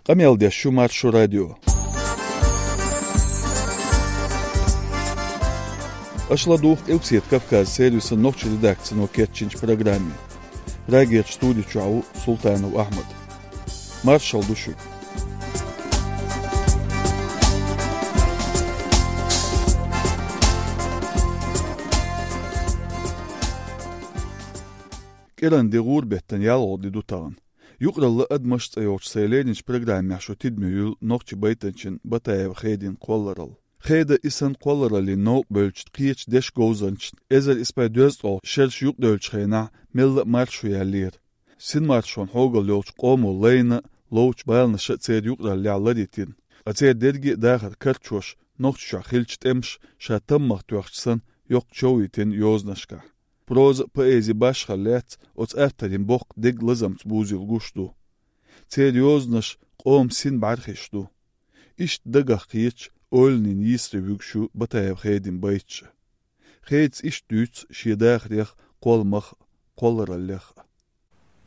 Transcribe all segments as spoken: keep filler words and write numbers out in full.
Къамел деш ю Маршо радио. Аша ладугӀу Къилбседа Кавказан сервисан нохчийн редакцино кечйинчу программе. Прагерчу студи чохь ву Султанов Ахьмад. Маршалла ду шуьга. КӀиранди гӀуран беттан ялхолгӀа де ду тахана. Юкъаралла адамаш цӀе йолчу сайн леринчу программехь шу тидаме юьллу нохчийн байтанчин Батаева Хедин кхолларалла. Хеда и санна кхоллараллин новкъа бевллачу кхечу дешан говзанчашна эзар исс бӀе дезткъе шераш юкъадевллачу хенахь мелла а маршо яьллера. Синмаршонан хьогалла йолчу къомо лайна а, ловчу баланаша а церан юкъараллехь лар йитина. Ткъа церан дерриге а дахар карчош, Нохчийчохь хиллачу тӀемаша ша таммагӀа тоьхча санна, йоккха чов йитина йозанашкахь. Проза а, поэзи а башхалла лаьцна, оцу авторийн боккха деган лазамца бузийла гуш ду. Церан йозанаш къоман син бӀаьрхиш ду. Иштта дагах кхеташ, ойланийн йийсаре вуьгуш ю Батаева Хедин байташ а. Хедас иштта дуьйцу шен дахарех а, кхолламах а, кхоллараллех а.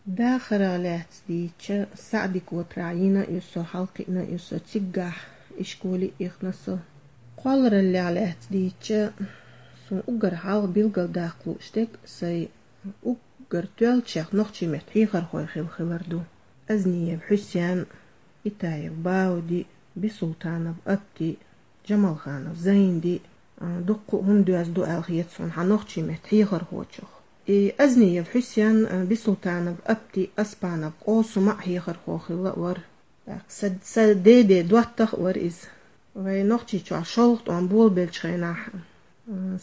Дахарах лаьцна дийцча, СаӀди-Котарахь йина а ю со, хьалакхиъна а ю со, циггахь ишколе а ихна со. Кхоллараллех лаьцна дийцча, суна уггар хьалха билгалдаккха лууш дерг сайн уггар тоьллачех нохчийн меттан хьехархой хилла хилар ду. Азниев Хьусен, Итаев Бауди, Бисултанов Апти, Джамалханов Зайнди, а, дуккха а хӀума доьзна ду аьлла хета суна хьан нохчийн меттан хьехархочух. И Азниев Хьусен, а, Бисултанов Апти, Аспанов Къосума а хьехархо хилла а вара. ТӀаккха са, са деде доттагӀа а вара иза. Вай Нохчийчохь шолгӀа тӀом болабеллачу хенахь, а,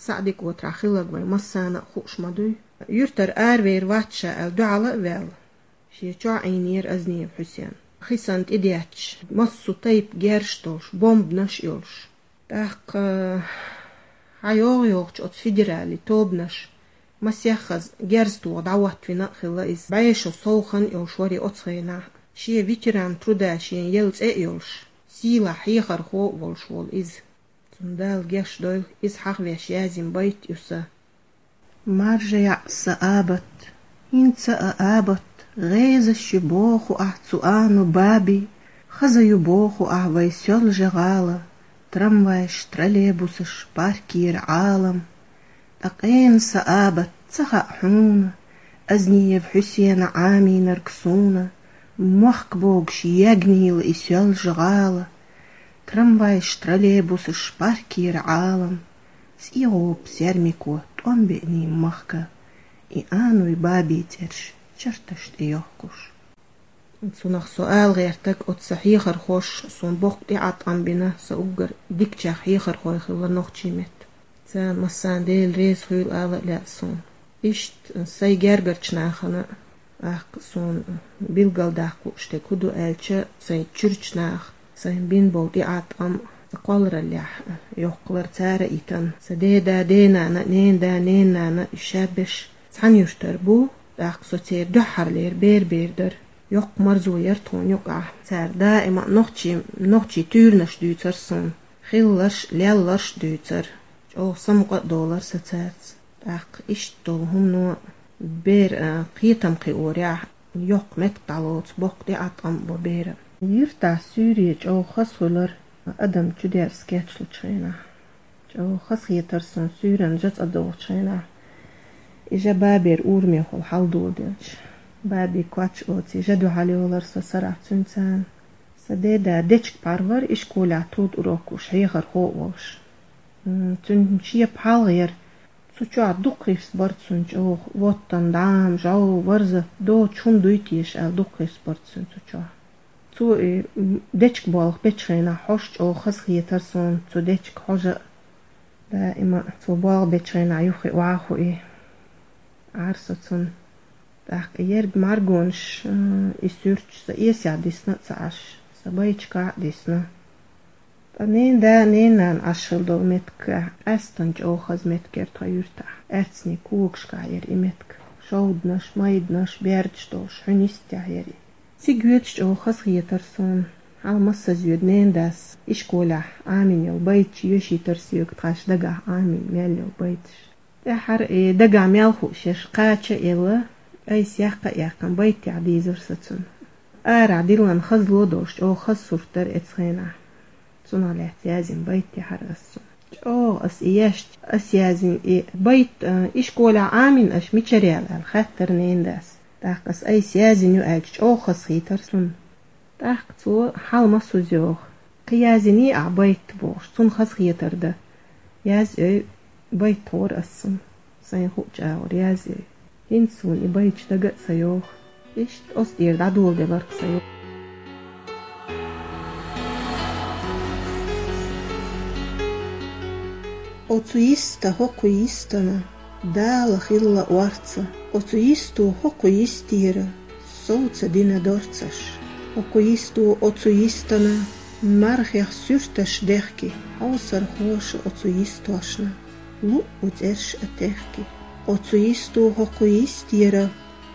СаӀди-Котарахь хилларг вай массарна а хууш ма дуй. Юьртара аравер вац ша аьлла, дуьхьал а ваьлла, шен чохь Ӏийнера Азниев Хьусен. Хи санна тӀедетташ, массо а тайпа герзаш долуш, бомбанаш а йолуш. ТӀаккха, хьан йогӀу-йогӀучу оцу федералан тобанаша масех хаза герз тоха дӀахӀоттавина а хилла иза. БӀешо совхан а йолуш вара и оцу хенахь. Шен ветеран труда шен елла цӀе а йолуш, сийлахь хьехархо а волуш волу иза. Цунна Дала гечдойла, иза хьахавеш язйина байт ю сан. Маржа яӀ сан абат, хӀинца а абат, гӀезаш ю боху ахь цу ану баби, хаза ю боху ахь вай Соьлжа-ГӀала, трамвайш, троллейбусаш, паркера Ӏалам. Ткъа къена сан абат, ца хаьа хьуна, Азниев Хьусена Ӏамийнарг суна, мохк богуш ягнийла и Соьлжа-ГӀала. Трамвайш, троллейбусаш, паркера Ӏалам, цӀе гӀопу сермико тӀом беъний махка, и ануй бабий цӀераш чарташ тӀе йохкуш. Цунах со ала гӀертарг, оцу сан хьехархоша суна боккха тӀеӀаткъам бина, сан уггар дикачех хьехархой хилла нохчийн меттан. Царна массарна Дела реза хуьйла ала а лаьа суна. Иштта сайн гергарчу нахана, тӀаккха суна билгалдаккха лууш дерг хӀун ду аьлча, сайн чуьрачу наха сайн бина болу тӀеӀаткъам а, кхоллараллехь йоккхалар цара а йитина. Сан деда, денана, ненада, ненанана уьш шаберш цхьана юьртара бу, тӀаккха со церан дуьххьарлера бер-бер дара. Йоккха марзо яра тхуна юкъахь. Цара даима а нохчийн, нохчийн туьйранаш дуьйцура суна. Хилларш а, лелларш а дуьйцура. ЧӀогӀа самукъа а долура сан цаьрца. ТӀаккха иштта долу хӀумано бер, а, кхетам кхиорехь, йоккха меттиг дӀалоцу, боккха тӀеӀаткъам а бо беран. Юьртахь суьйре чӀогӀа хаза хуьлура, адам чудерза кечлучу хенахь. ЧӀогӀа хазахетара суна суьйранна жа цӀа дохучу хенахь, и жа бабера урамехула хьаладоладелча. Баби коч оцу жа дуьхьал йолура со сарахь цуьнца. Сан деда дечиг пхьар вара, ишколехь труд урок луш, хьехархо а волуш. М, цуьнан шен пхьалгӀа яра. Цу чохь дукха хирс бара цуьнан чӀогӀа, воттан, дӀам, жӀов, варзат, доцу хӀума дуй теша аьлла, дукха хирс бара цуьнан цу чохь. Цо и, м, дечиг болх бечу хенахь хьожа чӀогӀа хазахетара суна, цу дечиг хьожа а. Даима а цо болх бечу хенахь юххе охьа а хуий, Ӏара со цунна. ТӀаккха ерг маргонаш, м, и суьрташ сан эсехь дисна а ца Ӏаш, сан байташкахь а дисна. Ткъа ненада, ненанана Ӏаш хилла долу меттиг къаьсттина чӀогӀа хаза меттиг яра тхан юьртахь. Аьцнийн когашкахь яра и меттиг. Шовданаш, майданаш, бердаш долуш, хьуьнан йистехь яра и. Цига йоьдуш чӀогӀа хазахетара суна. Хьала массаза йоьду ненадас ишколехь Ӏамийна йолу байташ йоьшуьйтура соьга, тхайн дагахь Ӏамийна мел йолу байташ. ТӀаьххьара и дагахь мел хууш ерш кхача а елла, айса яккха а яьккхина, байтехь дийзира со цунна. Арахь диллина хаза ло долуш, чӀогӀа хаза сурт дара оцу хенахь. Цунах лаьцна язйина байт яхьара ас цунна. ЧӀогӀа ас и еш, ас язйина и байт, а, ишколехь Ӏамийна аша мичара яьлла аьлла, хаьттира ненан дас. ТӀаккха ас айса язйина ю аьлча, чӀогӀа хазахийтира цунна. ТӀаккха цо хьалма суза йогӀу. Кхин язйиний ахь байт бохуш, цунна хазахетар дан. Язйой, байт тхора ас цунна. Сайна хуучу агӀор язйой. ХӀинца суна и байташ дага а ца йогӀу. Иштта оцу тӀера дӀадоладелира-кх сан юкъ. Оцу йиста хӀокху йистана Дала хилла орца, оцу йисто хӀокху йистера сов ца дина дорцаш. ХӀокху йисто оцу йистана мархех суьрташ дехки, хьовсархоша оцу йистошна луъу цӀерш а техки. Оцу йисто хӀокху йистера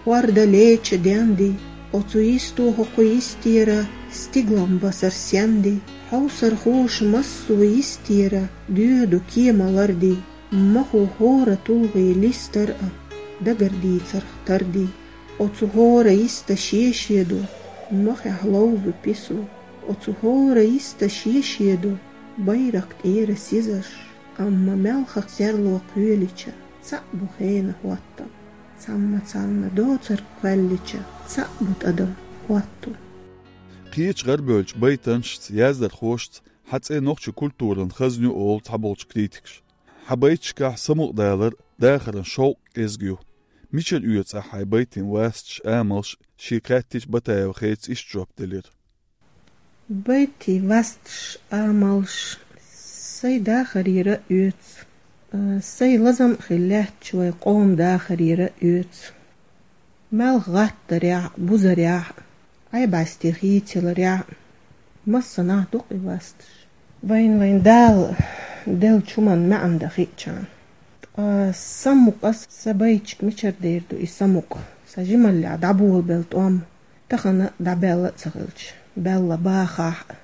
хӀорда леча денди, оцу йисто хӀокху йистера стиглам басар сенди, хьовсархоша массо йистера доьду кема ларди, махо хӀора тулгӀе листар а, дагар дийцарх тарди. Оцу хӀора йиста шен-шен ду, махехь ловзу пису, оцу хӀора йиста шен-шен ду, байракх тӀера сизаш, амма маьлхах серло кхоьлича, цхьаъ бу хенан хӀоттам. Цхьамма царна доцург кхоьллича, цхьаъ бу тӀадам хӀотту. Кхечу гӀарабевллачу байтанашца, яздархошца хьан цӀе нохчийн культуран хазна ю олу цхьаболчу критикаша. Хьан байташкахь самукъадалар, дахаран шовкъ кӀезиг ю. Мичара оьцу ахь хьайн байтийн васташ, амалш, шега хаьттича, Батаева Хедас иштта жоп делира. Байтийн васташ, амалш сайн дахарера а оьцу, а, сайн лазам а хилла лаьттачу вайн къоман дахарера а оьцу. Маьлха гӀаттарехь а, бузарехь а, Ӏай-бӀаьсте хийцаяларехь а, массанхьа ду-кх и васташ. Вайна вайн Дала деллачу хӀуманна маьӀна дан хиъчарна. Ткъа самукъа ас, сан байташка мичара дер ду и самукъа, сан жималлехь дӀаболабелла тӀом, тахана а дӀабаьлла а ца хилча, баьлла бахахь а,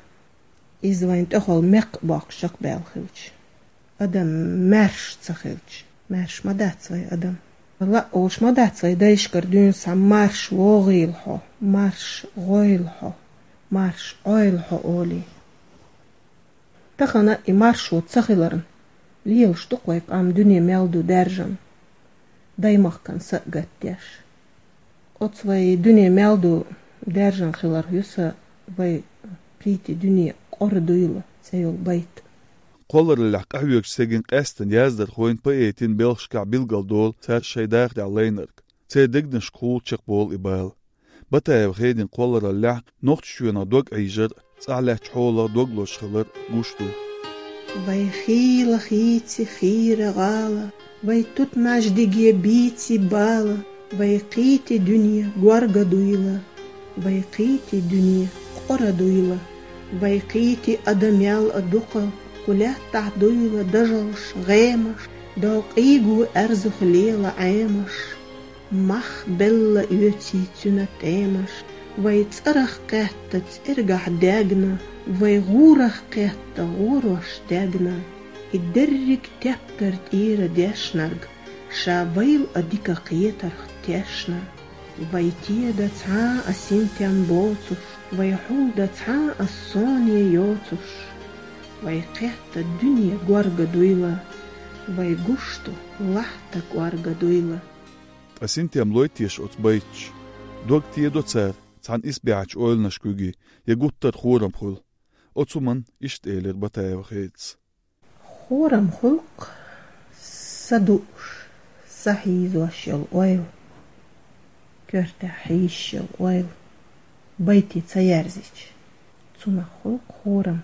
иза вайн тӀехула мекх а боккхуш чекхбаьлла хилча, адам маьрша ца хилча, маьрша ма дац вай адам. Лаа олуш ма дац вай дайшкара дуьйна схьа марша вогӀийла хьо, марша гӀойла хьо, марша Ӏойла хьо олий. Тахана и маршо ца хиларна, лелаш ду-кх вай къам дуьне мел ду даьржина, даймахкан са а гатдеш. Оцу вай дуьне мел ду даьржина хиларх ю сан «Вай кхийти дуьне кӀора дуйла» цӀе йолу байт. Кхоллараллехь къахьоьгучу стеган къаьсттина яздархойн, поэтийн белхашкахь билгалдолу цара шайн дахарехь лайнарг. Церан дегнашкахула чекхболу и бала. Батаева Хедин кхоллараллехь Нохчийчоьнах дог Ӏийжар, цӀахь лаьттачу хьолах дог лозуш хилар гуш ду. Вай хийла хийци хийра гӀала, вай тутмаьждиге бийци бала, вай кхийти дуьне горга дуйла, вай кхийти дуьне кӀора дуйла, вай кхийти адамел а дукха, кху лаьттахь дуйла дажалш, гӀемаш, докъийгу аьрзух лела Ӏемаш. Мах белла оьций цуьнан тӀемаш, вай цӀарах кхетта цӀергахь дегна, вай гӀурах кхетта гӀорош дегна. И дерриг тептар тӀера дешнарг, ша вайл а дика кхетарх тешна. Вай теда цхьа а синтем боцуш, вай хьулда цхьа а соне йоцуш, вай кхетта дуьне горга дуйла, вай гуш ду лахьта кӀорга дуйла. Ткъа синтем лой теша оцу байташа? Дог тедо цара цхьана исбаьхьачу ойланашка куьйге, я гуттар а хорам хуьлу? Оцу хӀуманна иштта элира Батаева Хедас. Хорам хуьлу-кх са дууш, са хьийзош йолу ойла, коьртехь хьийзаш йолу ойла, байте ца ерзича. Цунах хуьлу-кх хорам.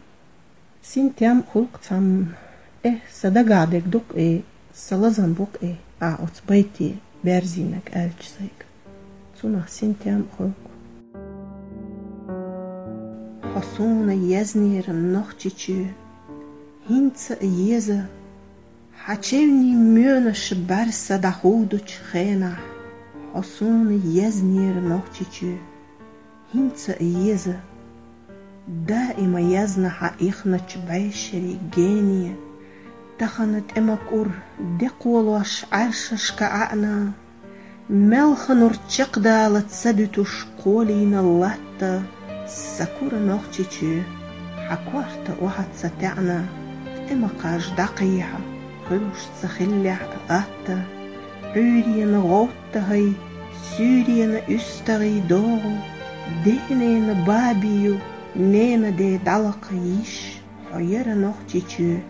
Синтем хуьлу-кх цхьамма: «Э, сан дагахь дерг ду-кх и, сан лазам бу-кх и, ахь оцу байте берзийнарг», аьлча сайга. Цунах синтем хуьлу-кх. Хьо суна езнера Нохчийчоь, хӀинца а еза, хьан чевнийн моьнаш бӀаьрса дӀахудучу хенахь, хьо суна езнера Нохчийчоь, хӀинца а еза. Даима езна хьан ихначу бӀешерийн гене, тахана тӀе ма кӀур, де кхолош Ӏаьршашка ӀаьӀна, Мелха нур чекхдала ца дуьтуш кхолийна латта, са кура Нохчийчоь, хьан корта охьа ца таьӀна, тӀе ма кхаж дӀакхехьа, хуьлуш ца хиллехь а атта. Ӏуьйрена гӀовттагӀий, суьйрена уьстагӀий догӀу, денена бабий ю, нена де дӀалакха йиш, хьо яра Нохчийчоь,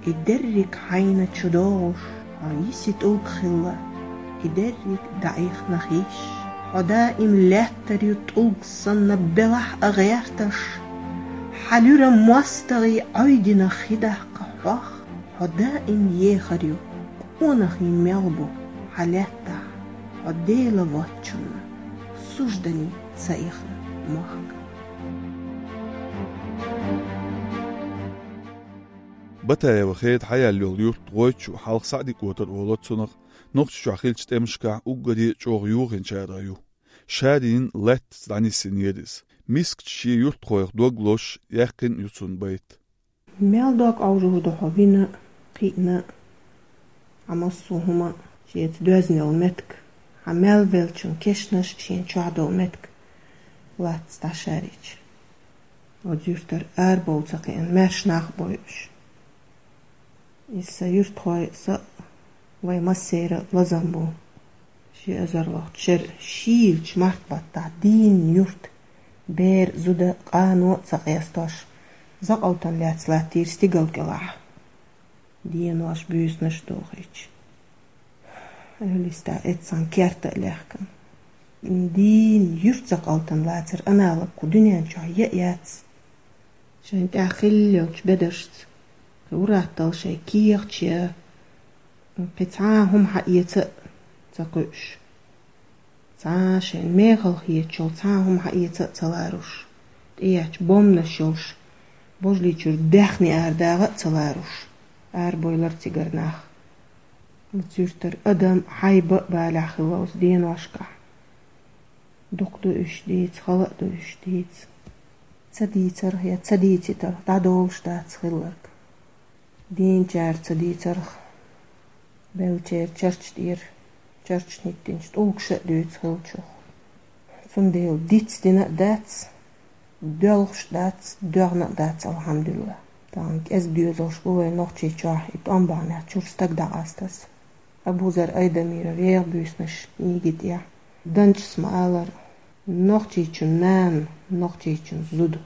и дерриг хьайна чу догӀуш, хьо йиси тӀулг хилла, и дерриг дӀаихна хиш. Хьо даим лаьттар ю тӀулг санна белахь а гӀерташ, хьан луьра мостагӀий Ӏойдина хи даккха хьох, хьо даим ехар ю, къонахий мел бу хьан лаьттахь, хьо Дела воцчунна суждане ца ихна мохк. Батаева Хеда хьаяьлла йолу юрт ГӀойтачу хьалха СаӀди-КӀотар олура цунах, Нохчийчохь хиллачу тӀемашкахь уггаре а чӀогӀа юхинчарах ю. Шарйина лаьттаца дӀанисйинера иза. Мискачу шен юьртахойх дог лозуш, яьккхина а ю цунна байт. Мел дог Ӏовжур ду хьо вина а, кхиъна а, хьан массо а хӀума а, шеца доьзна йолу меттиг, хьан мел веллачун кешнаш а шен чохь долу меттиг латтаца дӀашарйича. Оцу юьртара арабовла ца кхиъна маьрша нах а бойуш. Иза сан юьртахой а, со а, вайн массеран а лазам бу. Ши эзарлахчу шеран шийлачу март-баттахь дийна юрт, бер а, зуда а, къано а ца къестош, закъалтана лаьцна латтийра стигала кӀелахь. Денош, буьйсанаш а дохийча, эвлиста эццахь керта а лаьхкина. Дийна юьрт закъалтана лацар аналог кху дуьнен чохь я а яц. Шайн тӀехь хилла йолчу бедаршца, кхин ур-атталла шайн кехаташ я, кхин цхьа а хӀума хьаэца а ца кхуьуш, цхьа а шайна мехала хеташ йолу цхьа а хӀума хьаэца а ца ларуш, тӀеэцча бомбанаш йолуш, божалличуьра даьхни арадагӀа а ца ларуш, арабойлар цигара нах. Оцу юьртара адам а, хьайба а балехь хилла оцу деношкахь. Дукха ду уьш дийца, хала а ду уьш дийца. Ца дийцарх я ца дийцитарх дӀадолуш дац хилларг. Дийначара ца дийцарх, беллачеран чарча тӀера, чарчана хӀиттинчу тӀулгаша а дуьйцу хиллачух. Цундела дицдина а дац, доьлхуш а дац, доьгӀна а дац, алхьамдулла. Тахана кӀезиг доьзалш бу вайн Нохчийчохь, и тӀом бахьанехь чуьра стаг дӀакъастаза. Абузар Айдамиров «ВегӀан буьйсанаш» книги тӀехь Данчас ма-аллара, Нохчийчун нана, Нохчийчун зуда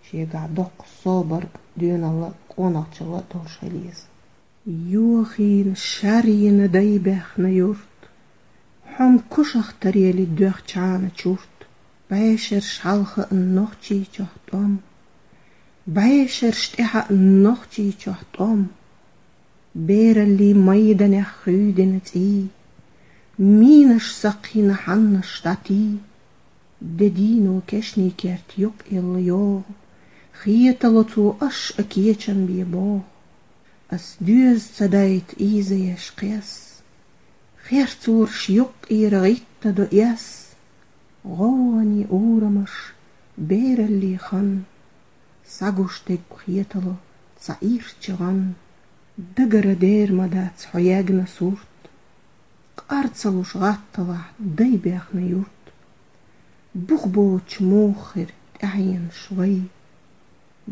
шегахь доккха собарг а, доьналла а, къонахчалла а долуш хила еза. Йохийна, шарйина дай баьхна юрт, хьуна кошах тарели доьхча хьана чурт, бӀешераш хьалха а Нохчийчохь тӀом, бӀешераш тӀаьхьа а Нохчийчохь тӀом. Бераллин майданех хуьйдина цӀий, минаш сакхйина хьаннаш дӀатий. Де дийно кешнийн керт юккъелла йогӀу, хетало цо аш а кечам бен богӀу. Ас доьза ца дайта ийзаеш кхес, херцораш юккъера гӀиттадо эс. ГӀовгӀане урамаш, бераллин хан, сагуш деггу хетало цхьа ирча гӀан. Дагара дер ма дац хьо ягна сурт, къар ца луш гӀатталахь дай баьхна юрт. Бух боцуш муха хир тӀаьхьенаш вай,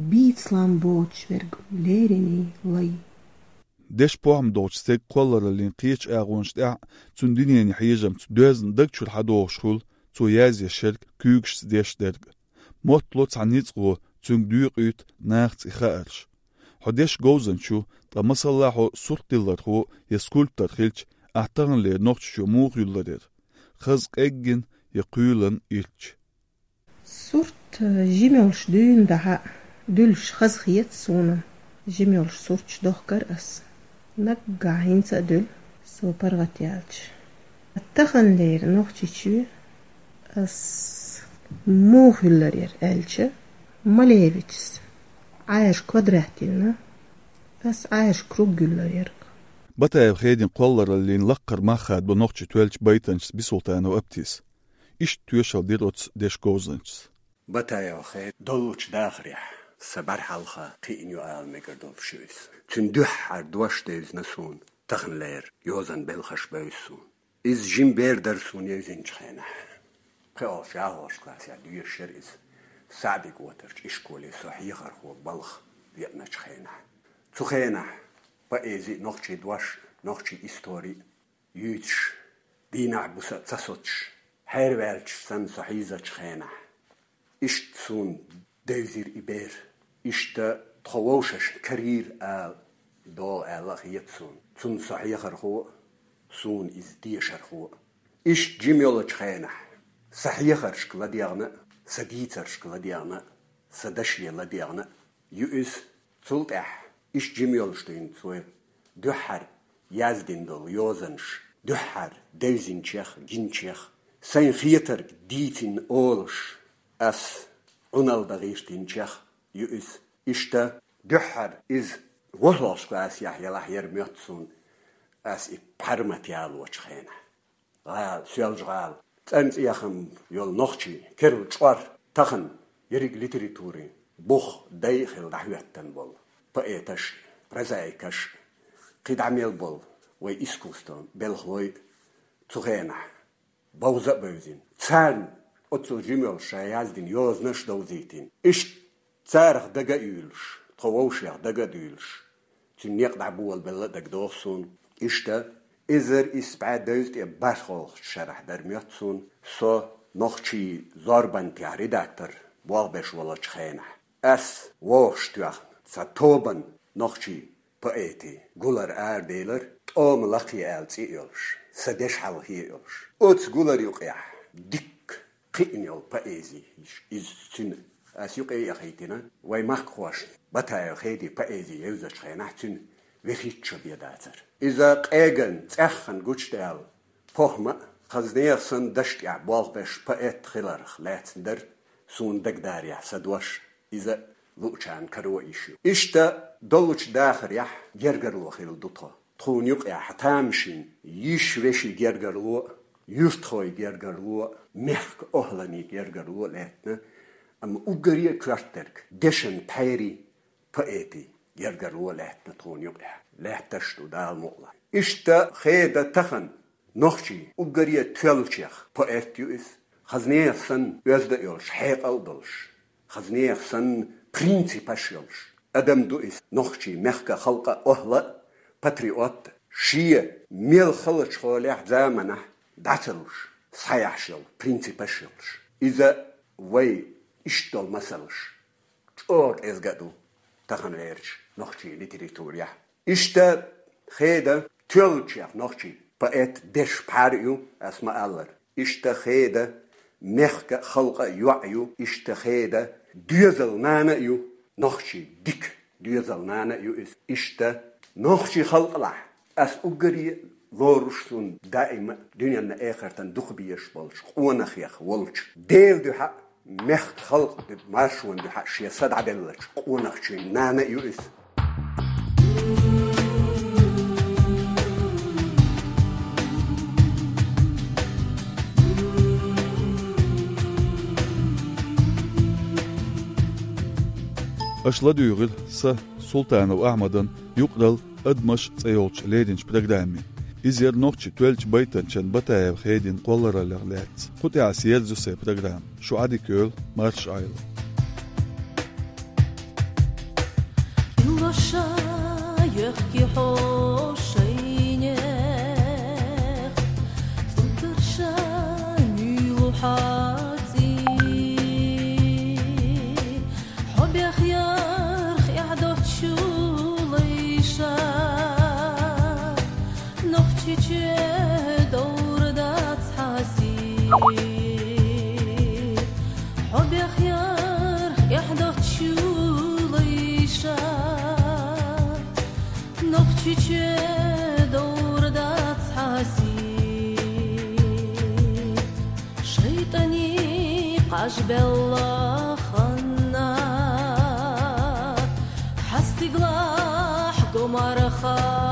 бийцалан боцуш верг лериний лай. Дешан похӀма долчу стеган кхоллараллин кхечу агӀонаш тӀехь а, цуьнан дуьненан хьежамца доьзна даг чуьра хьадогӀуш хуьлу цо язъеш ерг, куьйгашца деш дерг. Моттало цхьа ницкъ гӀо, цуьнга доькъуьйту нахаца и хаарш. Хьо дешан говзанча ву, ткъа масала хьо суртдиллархо я скульптор хилча, ахь таханлера Нохчийчоь муха юьллур яра? Хаза къеггина я кхоьлина ирча? Сурт, э, жима йолуш дуьйна дахьа дуьллуш хазахета суна, жима йолуш сурташ дохкар ас. Наггахь хӀинца а дуьллу, со паргӀат яьлча. Таханлера Нохчийчоь ас муха юьллур яра аьлча, Малевичас Ӏаьржа квадрат йиллина, ас Ӏаьржа круг юьллур яра. Батаева Хедин кхоллараллин лаккхара мах хадабо нохчийн тоьллачу байтанчас Бисултанов Аптис. Иштта тоьшалла дира оцу дешан говзанчас. Батаева Хеда доллучу дахарехь сан бӀаьра хьалха кхиъна ю ала мегар долуш ю иза. Цуьнан дуьххьара дош девзина суна, таханлера йозанан белхаш бевза суна. Иза жима бер дара суна евзинчу хенахь. ПхоьалгӀа-ялхалгӀа классехь доьшуш яра иза. СаьӀди-ГӀотарчу ишколе со хьехархо балха веаначу хенахь. Цу хенахь поэзи а, нохчийн дош а, нохчийн истори а юьйцуш, дийнахь-буса а ца соцуш, хьерваьллачу санна со хьийзачу хенахь, иштта суна девзира и бер. Иштта тхо вовшашна карийра ала, догӀу аьлла а хета суна. Цунна со хьехархо а, суна иза дешархо а. Иштта жима йолчу хенахь, сан хьехаршка ладегӀна а, сан дийцаршка ладегӀна а, сан даше ладегӀна а ю иза. Цул тӀаьхьа иштта жима йолуш дуьйна цо дуьххьара яздина долу йозанаш, дуьххьара девзинчех, гинчех, сайн хетарг дийцина олуш, ас Ӏуналла дан гӀиртинчех ю иза. Иштта дуьххьара иза ворхӀалгӀачу классехь елахь яра моьтту суна, ас и пхьармат ялочу хенахь. ГӀала, Соьлжа-ГӀала, цӀанцӀехам йолу нохчий, керла чкъор, тахана ерриг литературин бух, дай а хилла дӀахӀоьттина болу поэташ а, прозаикаш а, кхидӀа мел болу вай искусствон белхалой а цу хенахь бовза а бевзина. Царна оццул жима йолуш ша яздина йозанаш а довзийтина. Иштта царах дага а юьйлуш, тхо вовшех дага а дуьйлуш, цуьнан некъ дӀаболабелла а дагадогӀу суна. Иштта, эзар исс бӀе дезткъе бархӀалгӀачу шарахь дара моьтту суна, со нохчийн зорбанехь редактор болх беш волчу хенахь, ас вовшахтоьхна цхьа тобанна нохчийн поэтийн гулар араделира, «ТӀома лакхе» аьлла цӀе а йолуш, сан дешан хьалхе а йолуш. Оцу гуларна юкъахь дикка кхиъна йолу поэзи, иза цуьнан ас юкъе а яхийтина, вай махкахошна Батаев Хедин поэзи евзачу хенахь цуьнан вехийча шо бен дацара. Иза къеган, цӀеххьана гучудаьлла похӀма а, хаза нехан санна дашна тӀехь болх беш поэт хиларх лаьцна дара суна дагадарехь сан дош. Иза луучарна каро йиш ю. Иштта доллучу дахарехь гергарло хилла ду тхо. Тхуна юкъахь тамашийна йиш-вешин гергарло а, юьртахойн гергарло а, мехкан охӀланийн гергарло а лаьттина, амма уггаре а коьртаниг дешан пхьерийн, поэтийн гергарло а лаьттина тхуна юкъахь. Лаьтташ а ду, Дала мукъ лахь. Иштта Хеда тахана нохчийн уггаре а тоьллачех поэт ю иза. Хаза нехан санна оьзда а йолуш, хьекъал а долуш, хаза нехан санна принципаш а йолуш адам ду иза. Нохчийн мехкан, халкъан охӀла а, патриот а, шен мел халачу хьолехь, заманахь дӀа ца луш, схьаяхьаш йолу принципаш а йолуш. Иза вай иштта долу масалш чӀогӀа кӀезга а ду таханлерчу нохчийн литературехь. Иштта Хеда тоьллачех нохчийн поэтан дешан пхьар а ю, ас ма-аллара. Иштта Хеда мехкан а, халкъан а йоӀ ю. Иштта Хеда доьзалан нана а ю, нохчийн дика доьзалан нана а ю иза. Иштта нохчийн халкъалахь ас уггаре а лоруш, суна даима а дуьненна, эхартана дукха безаш болчу къонахех волчу Делан дуьхьа а, мехкан, халкъан маршонан дуьхьа а шен са дӀаделлачу къонахчун нана а ю иза. Аша ладуьйгӀира сан, Султанов Ахьмадан, юкъаралла «Адамаш» цӀе йолчу леринчу программе. Иза яра нохчийн тоьллачу байтанчин Батаев Хедин кхоллараллех лаьцна. Кху тӀехь ас ерзайо сайн программа. Шу Ӏадика йойла, марша Ӏойла. Лоша йохки хьо шайнех, цунтарша муьйлу хьаций. Хьо бехъярх эхь доцчу лайша, Нохчийчоь довр дац хьан сий. Хьо бехъярх эхь доцчу лайша, Нохчийчоь довр дац хьан сий. ШайтӀанийн кхаж белла ханна, хьан стигалахь го марха